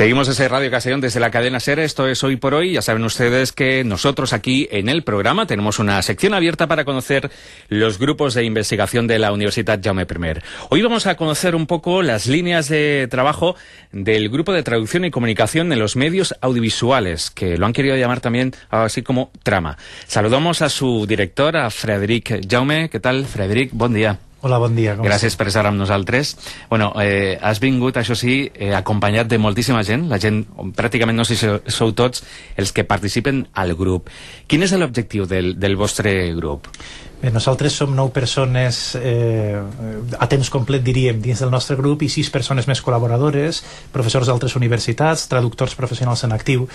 Seguimos ese Radio Castellón desde la cadena SER, esto es Hoy por Hoy. Ya saben ustedes que nosotros aquí en el programa tenemos una sección abierta para conocer los grupos de investigación de la Universidad Jaume I. Hoy vamos a conocer un poco las líneas de trabajo del Grupo de Traducción y Comunicación en los Medios Audiovisuales, que lo han querido llamar también así como Trama. Saludamos a su director, a Frederic Jaume. ¿Qué tal, Frederic? Bon dia. Hola, bon dia. Gràcies per estar amb nosaltres. Bueno, has vingut, això sí, acompanyat de moltíssima gent. La gent, pràcticament no sé si sou tots els que participen al grup. Quin és l'objectiu del vostre grup? Bé, nosaltres som 9 persones a temps complet, diríem, dins del nostre grup, i 6 persones més col·laboradores, professors d'altres universitats, traductors professionals en actiu,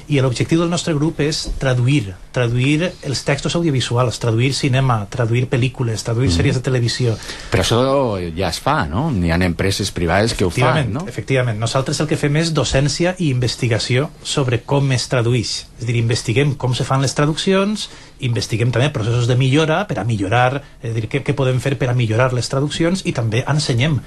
i l'objectiu del nostre grup és traduir els textos audiovisuals, traduir cinema, traduir pel·lícules, traduir sèries de televisió. Però això ja es fa, no? Hi ha empreses privades que ho fan, no? Efectivament. Nosaltres el que fem és docència i investigació sobre com es tradueix. És a dir, investiguem com se fan les traduccions, investiguem també processos de millora per a millorar, és a dir, què podem fer per a millorar les traduccions, i també ensenyem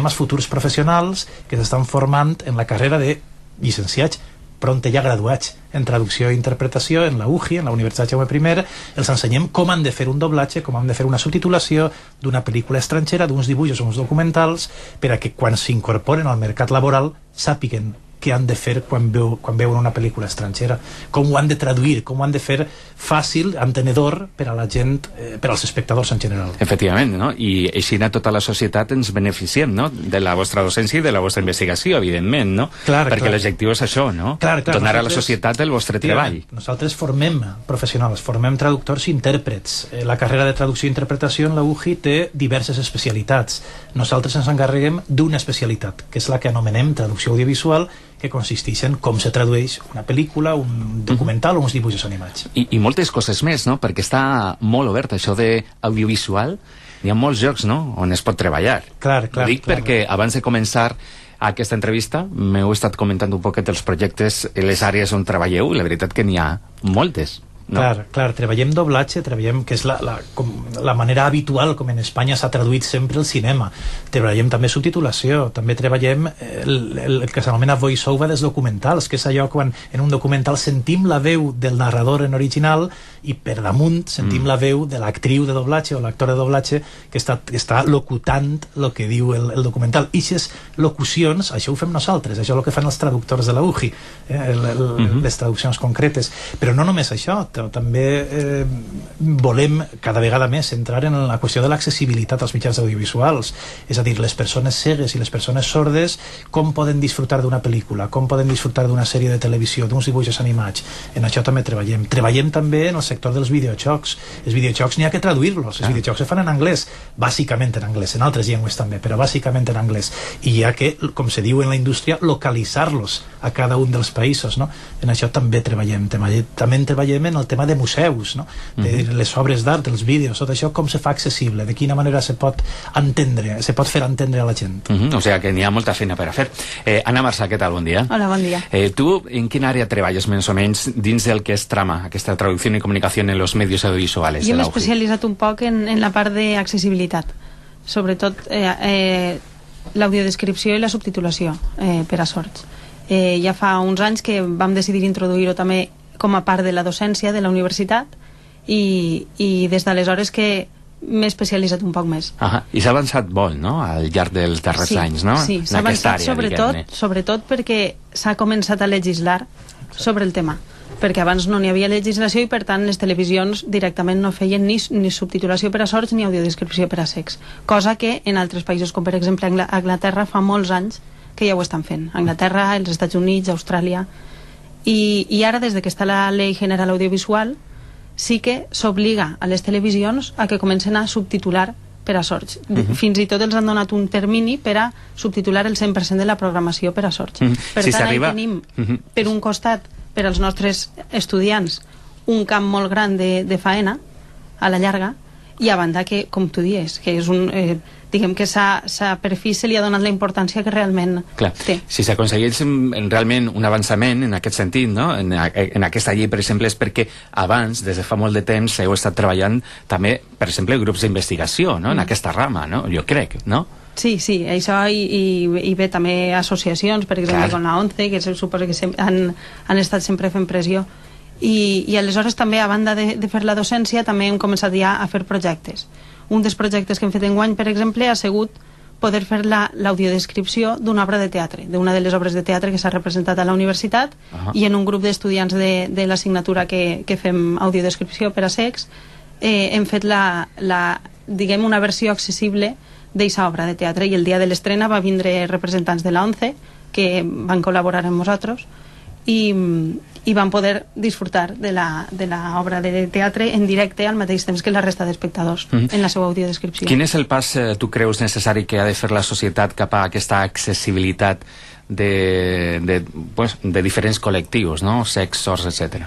als futurs professionals que s'estan formant en la carrera de llicenciats, pront ja graduats en traducció i interpretació en la UJI, en la Universitat Jaume I. Els ensenyem com han de fer un doblatge, com han de fer una subtitulació d'una pel·lícula estrangera, d'uns dibuixos o uns documentals, per a que quan s'incorporen al mercat laboral sàpiguen què han de fer quan veuen una pel·lícula estrangera, com ho han de traduir, com ho han de fer fàcil, entenedor per a la gent, per als espectadors en general. Efectivament, no? I així a tota la societat ens beneficiem, no? De la vostra docència i de la vostra investigació, evidentment, no? Perquè l'objectiu és això, no? Donar a la societat el vostre treball. Nosaltres formem professionals, formem traductors i intèrprets. La carrera de traducció i interpretació en la UJI té diverses especialitats. Nosaltres ens encarreguem d'una especialitat, que és la que anomenem traducció audiovisual, que consisteix en com se tradueix una pel·lícula, un documental o uns dibuixos animats. I moltes coses més, no? Perquè està molt obert això d'audiovisual. Hi ha molts llocs, no?, on es pot treballar. Clar. Ho dic perquè abans de començar aquesta entrevista m'heu estat comentant un poquet els projectes, les àrees on treballeu, i la veritat que n'hi ha moltes. No? Clar, treballem doblatge, treballem, que és la manera habitual com en Espanya s'ha traduït sempre el cinema. Treballem també subtitulació, també treballem el que s'anomena voice-over dels documentals, que és allò quan en un documental sentim la veu del narrador en original i per damunt sentim la veu de l'actriu de doblatge o l'actor de doblatge que està locutant el que diu el documental. I aquestes locucions, això ho fem nosaltres, això és el que fan els traductors de la UJI, les traduccions concretes. Però no només això, també volem cada vegada més entrar en la qüestió de l'accessibilitat als mitjans audiovisuals, és a dir, les persones cegues i les persones sordes com poden disfrutar d'una pel·lícula, com poden disfrutar d'una sèrie de televisió, d'uns dibuixos animats. En això també treballem també en el sector dels videojocs. Els videojocs n'hi ha que traduir-los, els videojocs se fan en anglès, bàsicament en anglès, en altres llengües també, però bàsicament en anglès, i hi ha que, com se diu en la indústria, localitzar-los a cada un dels països, no? En això també treballem en el tema de museus, no? De les obres d'art, els vídeos, tot això, com se fa accessible, de quina manera se pot fer entendre a la gent. O sigui que n'hi ha molta feina per a fer. Anna Marsà, què tal? Bon dia. Hola, bon dia. Tu en quina àrea treballes més o menys dins del que és Trama, aquesta traducció i comunicació en los medios audiovisuals? Jo m'he especialitzat un poc en la part d'accessibilitat, sobretot l'audiodescripció i la subtitulació per a sords. Ja fa uns anys que vam decidir introduir-ho també com a part de la docència de la universitat i des d'aleshores que m'he especialitzat un poc més. I s'ha avançat molt, no?, al llarg dels darrers anys, no? Sí, s'ha avançat sobretot perquè s'ha començat a legislar sobre el tema, perquè abans no n'hi havia legislació i per tant les televisions directament no feien ni subtitulació per a sords ni audiodescripció per a cecs, cosa que en altres països com per exemple Anglaterra fa molts anys que ja ho estan fent. Anglaterra, els Estats Units, Austràlia. I ara, des que està la Llei General Audiovisual, sí que s'obliga a les televisions a que comencen a subtitular per a sords. Fins i tot els han donat un termini per a subtitular el 100% de la programació per a sords. Per tant, tenim, per un costat, per als nostres estudiants, un camp molt gran de faena, a la llarga, i a banda que, com tu dius, que és un... diguem que per fi se li ha donat la importància que realment té. Si s'aconsegueix realment un avançament en aquest sentit, no?, en aquesta llei, per exemple, és perquè abans, des de fa molt de temps, heu estat treballant també, per exemple, grups d'investigació, no?, en aquesta rama, no?, jo crec, no? Sí, això i bé, també associacions, per exemple, com la ONCE, que suposo que han estat sempre fent pressió. I aleshores també, a banda de fer la docència, també hem començat ja a fer projectes. Un dels projectes que hem fet enguany, per exemple, ha sigut poder fer l'audiodescripció d'una obra de teatre, d'una de les obres de teatre que s'ha representat a la universitat, i en un grup d'estudiants de l'assignatura que fem audiodescripció per a cecs, hem fet diguem, una versió accessible d'eixa obra de teatre, i el dia de l'estrena va vindre representants de la ONCE que van col·laborar amb nosaltres i van poder disfrutar de l'obra de teatre en directe al mateix temps que la resta d'espectadors en la seva audiodescripció. Quin és el pas, tu creus, necessari que ha de fer la societat cap a aquesta accessibilitat de diferents col·lectius, no? Secs, sords, etc.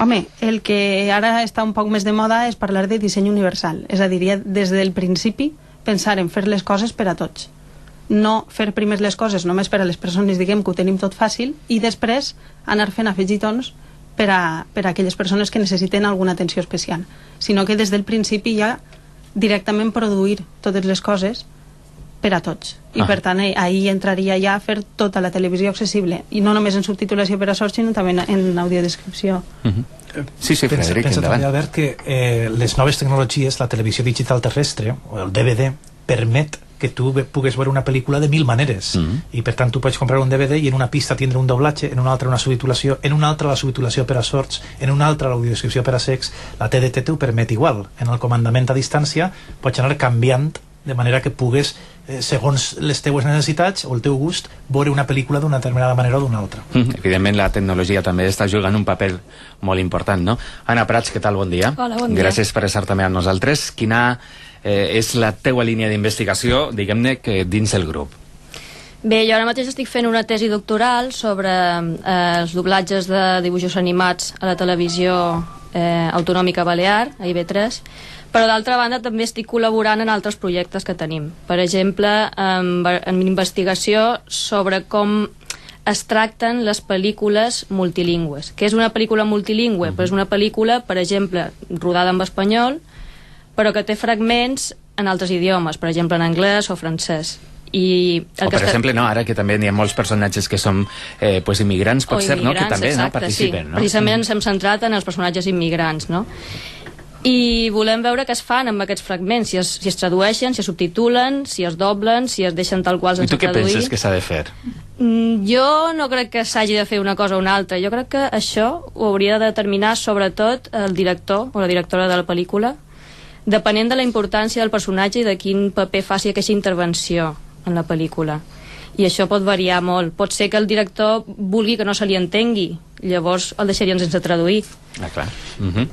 Home, el que ara està un poc més de moda és parlar de disseny universal, és a dir, ja des del principi pensar en fer les coses per a tots, no fer primer les coses només per a les persones, diguem, que ho tenim tot fàcil, i després anar fent afegitons per a aquelles persones que necessiten alguna atenció especial, sinó que des del principi ja directament produir totes les coses per a tots, i per tant ahir entraria ja a fer tota la televisió accessible, i no només en subtitulació per a sords, sinó també en audiodescripció. Sí, Frederic, pensa també, Albert, que les noves tecnologies, la televisió digital terrestre o el DVD, permet que tu pugues veure una pel·lícula de 1000 maneres, i per tant tu pots comprar un DVD i en una pista tindre un doblatge, en una altra una subtitulació, en una altra la subtitulació per a sords, en una altra l'audiodescripció per a cecs. La TDT t'ho permet igual. En el comandament a distància pots anar canviant de manera que pugues, segons les teues necessitats o el teu gust, veure una pel·lícula d'una determinada manera o d'una altra. Evidentment la tecnologia també està jugant un paper molt important, no? Anna Prats, què tal? Bon dia. Hola, bon dia. Gràcies per estar també amb nosaltres. Quina és la teua línia d'investigació, diguem-ne, que dins el grup? Bé, jo ara mateix estic fent una tesi doctoral sobre els doblatges de dibuixos animats a la televisió autonòmica balear, a IB3, però d'altra banda també estic col·laborant en altres projectes que tenim. Per exemple, en investigació sobre com es tracten les pel·lícules multilingües. Què és una pel·lícula multilingüe? Pues és una pel·lícula, per exemple, rodada en espanyol, però que té fragments en altres idiomes, per exemple en anglès o francès. O per exemple, no, ara que també hi ha molts personatges que són immigrants, pot ser, no? Que també participen, no? Precisament ens hem centrat en els personatges immigrants, no? I volem veure què es fan amb aquests fragments, si es tradueixen, si es subtitulen, si es doblen, si es deixen tal qual sense traduir. I tu què penses que s'ha de fer? Jo no crec que s'hagi de fer una cosa o una altra. Jo crec que això ho hauria de determinar sobretot el director o la directora de la pel·lícula, depenent de la importància del personatge i de quin paper faci aquesta intervenció en la pel·lícula. I això pot variar molt. Pot ser que el director vulgui que no se li entengui, llavors el deixarien sense traduir. Clar.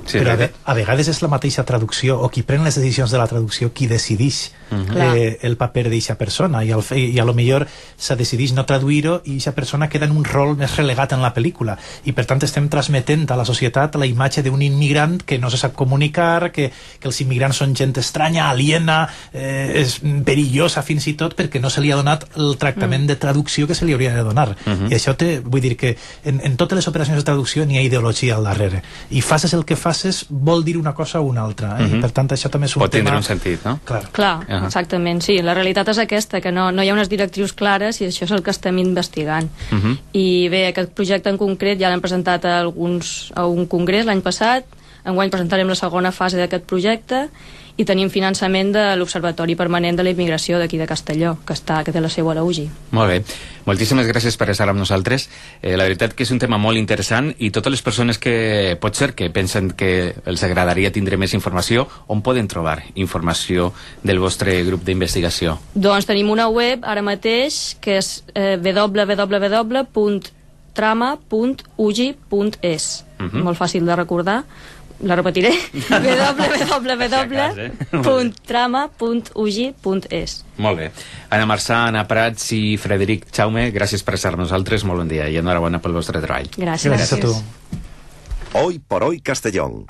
Sí, però a vegades és la mateixa traducció, o qui pren les decisions de la traducció, qui decideix el paper d'eixa persona, i a lo millor se decideix no traduir-ho i eixa persona queda en un rol més relegat en la pel·lícula, i per tant estem transmetent a la societat la imatge d'un immigrant que no se sap comunicar, que els immigrants són gent estranya, aliena, és perillosa fins i tot perquè no se li ha donat el tractament de traducció que se li hauria de donar. I això vull dir que en totes les operacions de traducció n'hi ha ideologia al darrere, i faces el que faces vol dir una cosa o una altra, i per tant això també és un tema... Pot tindre un sentit, no? Clar, exactament, sí, la realitat és aquesta, que no hi ha unes directrius clares, i això és el que estem investigant. I bé, aquest projecte en concret ja l'hem presentat a un congrés l'any passat, enguany presentarem la segona fase d'aquest projecte, i tenim finançament de l'Observatori Permanent de la Immigració d'aquí de Castelló, que té la seu a la UGI. Molt bé. Moltíssimes gràcies per estar amb nosaltres. La veritat que és un tema molt interessant, i totes les persones que potser que pensen que els agradaria tindre més informació, on poden trobar informació del vostre grup d'investigació? Doncs tenim una web ara mateix que és www.trama.ugi.es. Molt fàcil de recordar. La repetiré, www.trama.ugi.es. Molt bé. Anna Marçà, Anna Prats i Frederic Jaume, gràcies per estar amb nosaltres, molt bon dia i enhorabona pel vostre treball. Gràcies. Gràcies a tu. Hoy por hoy Castellón.